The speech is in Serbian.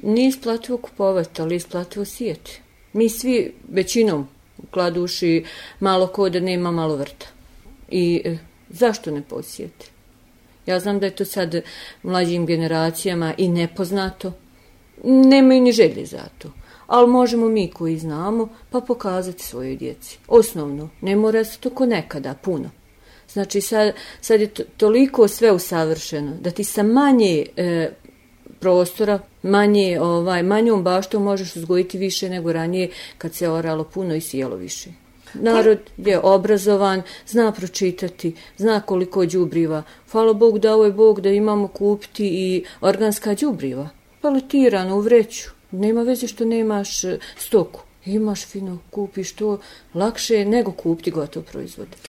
Nije isplativo kupovati, ali isplativo sijeti. Mi svi većinom kladuši malo ko da nema malo vrta. I zašto ne posijeti? Ja znam da je to sad mlađim generacijama i nepoznato. Nemaju ni želje za to. Ali možemo mi koji znamo pa pokazati svojoj djeci. Osnovno, ne mora se to ko nekada, puno. Znači sad je toliko sve usavršeno da ti sa manje prostora, manjom baštom možeš uzgojiti više nego ranije kad se oralo puno i sijelo više. Narod je obrazovan, zna pročitati, zna koliko đubriva. Hvala Bog dao je Bog da imamo kupiti i organska đubriva. Paletirano u vreću. Nema veze što nemaš stoku. Imaš fino, kupiš to lakše nego kupiti gotov proizvod.